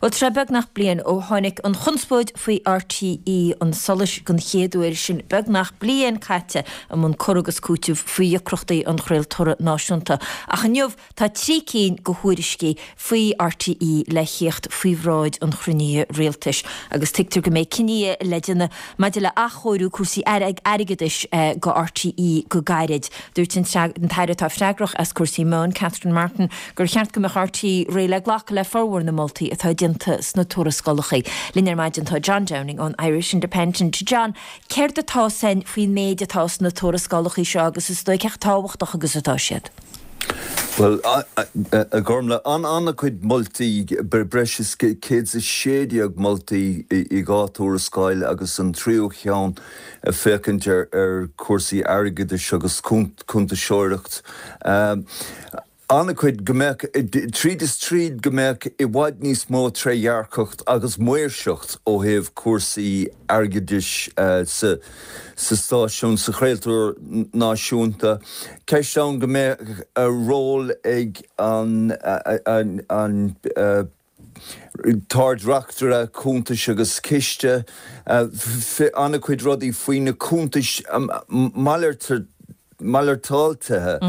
Bhuel, tá sé beagnach bliain ó tháinig an chonspóid faoi RTÉ chun solais den chéad uair, sin beagnach bliain caite i mbun cur agus cúiteamh faoi dheacrachtaí an chraoltóra náisiúnta. Ach inniu tá 3 cinn de thuairiscí faoi RTÉ le thíocht faoi bhráid an chruinnithe rialtais agus tuigtear go mbeidh cinní le déanamh maidir le athchóiriú cúrsaí airgeadais go RTÉ go gairid. Dúirt an tAire atá freagrach as cúrsaí meán, Catherine Martin, gur cheart go mbeadh RTÉ réidh le glacadh le formhór na moltaí atá déanta sna tuarascálacha. Linn ar maidin tá John Downing ón Irish Independent. John, céard atá 's againn faoin méid atá sna tuarascálacha seo agus is dóigh cé chomh tábhachtach agus atá siad? Bhuel, a Ghormfhlaith, an-chuid moltaí, breis is 116 moltaí i dhá tuarascáil agus an tríú cheann ag féachaint ar chúrsaí airgeadais agus cuntasóireacht. An-chuid go mbeadh, tríd is tríd, go mbeadh i bhfad níos mó trédhearcacht agus maoirseacht ó thaobh cúrsaí airgeadais sa stáisiún, sa chraoltóir náisiúnta. Ceist ann go mbeadh ról ag an tArd-Reachtaire Cuntais agus Ciste, an-chuid rudaí faoi na cuntais malartaithe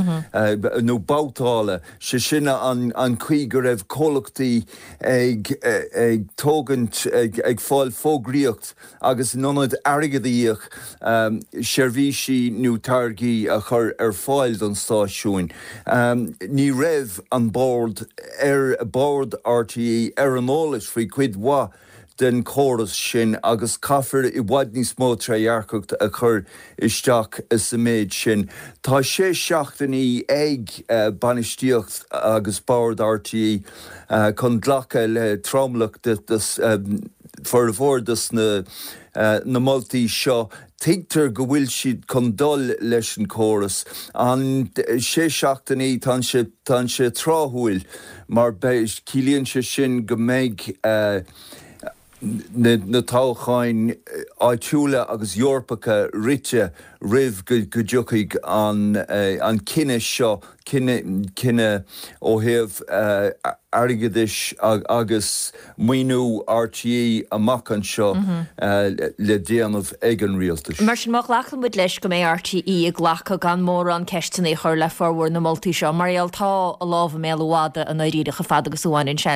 nó babhtála, sé sin an chaoi go raibh comhlachtaí ag tógaint, ag fáil fógraíocht agus in ionad airgead a íoc, seirbhísí nó táirgí a chur ar fáil don stáisiún. Ní raibh an Bord ar Bord RTÉ ar an eolas faoi chuid mhaith den chóras sin agus caithfear i bhfad níos mó trédhearcacht a chur isteach sa méid sin. Tá sé seachtainí ag bainistíocht agus Bord RTÉ chun glacadh le tromlach de formhór de na moltaí seo. Tuigtear go bhfuil siad chun dul leis an chóras. An sé seachtainí, tá sé, tá sé tráthúil mar beidh, ciallaíonn sé sin go mbeidh na toghcháin áitiúla agus Eorpacha rite roimh go dtiocfaidh an cinneadh seo, cinneadh ó thaobh airgeadais agus maoiniú RTÉ amach anseo le déanamh ag an rialtas. Mar sin, má ghlacann muid leis go mbeidh RTÉ ag glacadh gan mórán ceisteanna a chur le formhór na moltaí seo, mar gheall tá a lámh i mbéal an mhadaidh i ndáiríre chomh fada agus a bhaineann sé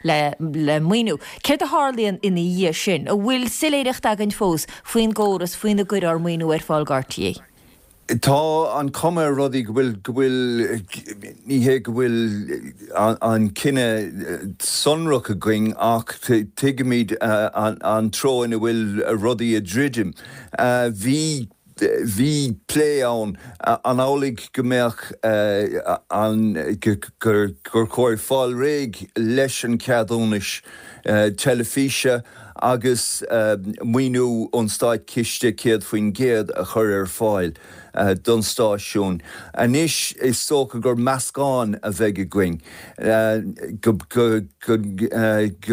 le le maoiniú. Céard a tharlaíonn ina dhiaidh sin? An bhfuil soiléireacht againn fós faoin gcóras faoina gcuirfear maoiniú ar fáil go RTÉ? Tá an chuma ar rudaí go bhfuil, go bhfuil, ní hé go bhfuil an cinneadh sonrach againn ach tuigimid an treo ina bhfuil rudaí ag druidim. Bhí, bhí plé ann, an amhlaidh go mbeadh an, gur chóir fáil réidh leis an cheadúnas teilifíse agus maoiniú ón státchiste 100% a chur ar fáil don stáisiún. Anois is dócha gur meascán a bheidh againn, go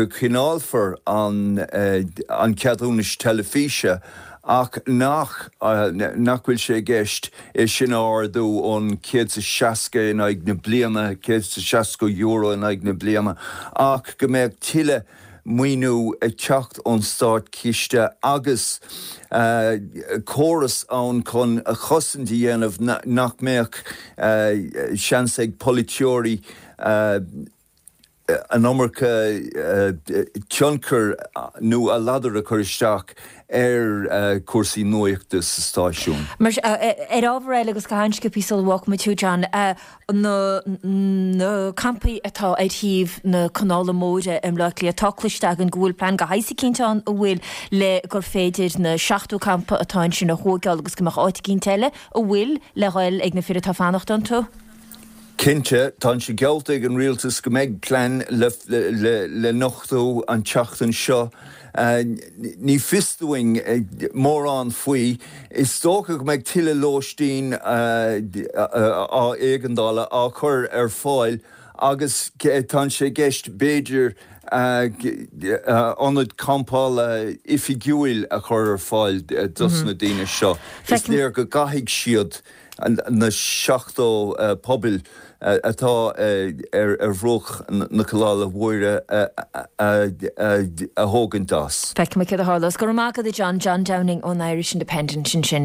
gcoinneálfar an ceadúnas teilifíse ach nach nach bhfuil sé i gceist é sin a ardú ón 160 in aghaidh na bliana, €160 in aghaidh na bliana, ach go mbeadh tuilleadh maoiniú ag teacht ón státchiste agus córas ann chun cosaint a dhéanamh nach mbeadh seans ag polaiteoirí an iomarca tionchair nó a ladar a chur isteach ar chúrsaí nuachta sa stáisiún. Mar ar ábhar eile agus go han-sciobtha sula bhfágfaimid thú John, na na campaí atá ar thaobh na Canála Móire i mBleá Cliath, tá cloiste againn go bhfuil plean de shaghas eicínt ann an bhfuil le gur féidir na 70 campa atá ansin a thóigeáil agus go mbeadh áit eicínt eile a bhfuil le dhul ag na fir atá ag fanacht iontu. Cinnte, tá sé geallta ag an rialtas go mbeidh plean le nochtadh an tseachtain seo. Ní fios dúinn mórán faoi. Is dócha go mbeidh tuilleadh lóistín éigeandála á chur ar fáil agus tá sé i gceist b'fhéidir. Ionad campála oifigiúil a chur ar fáil dos na daoine seo. Is léir go gcaithfidh siad na 70 puball atá ar bhruach na Canála Móire a thógaint as. Feicfimid céard a tharlós. Go raibh maith agat a John, John Downing ón Irish Independent ansin.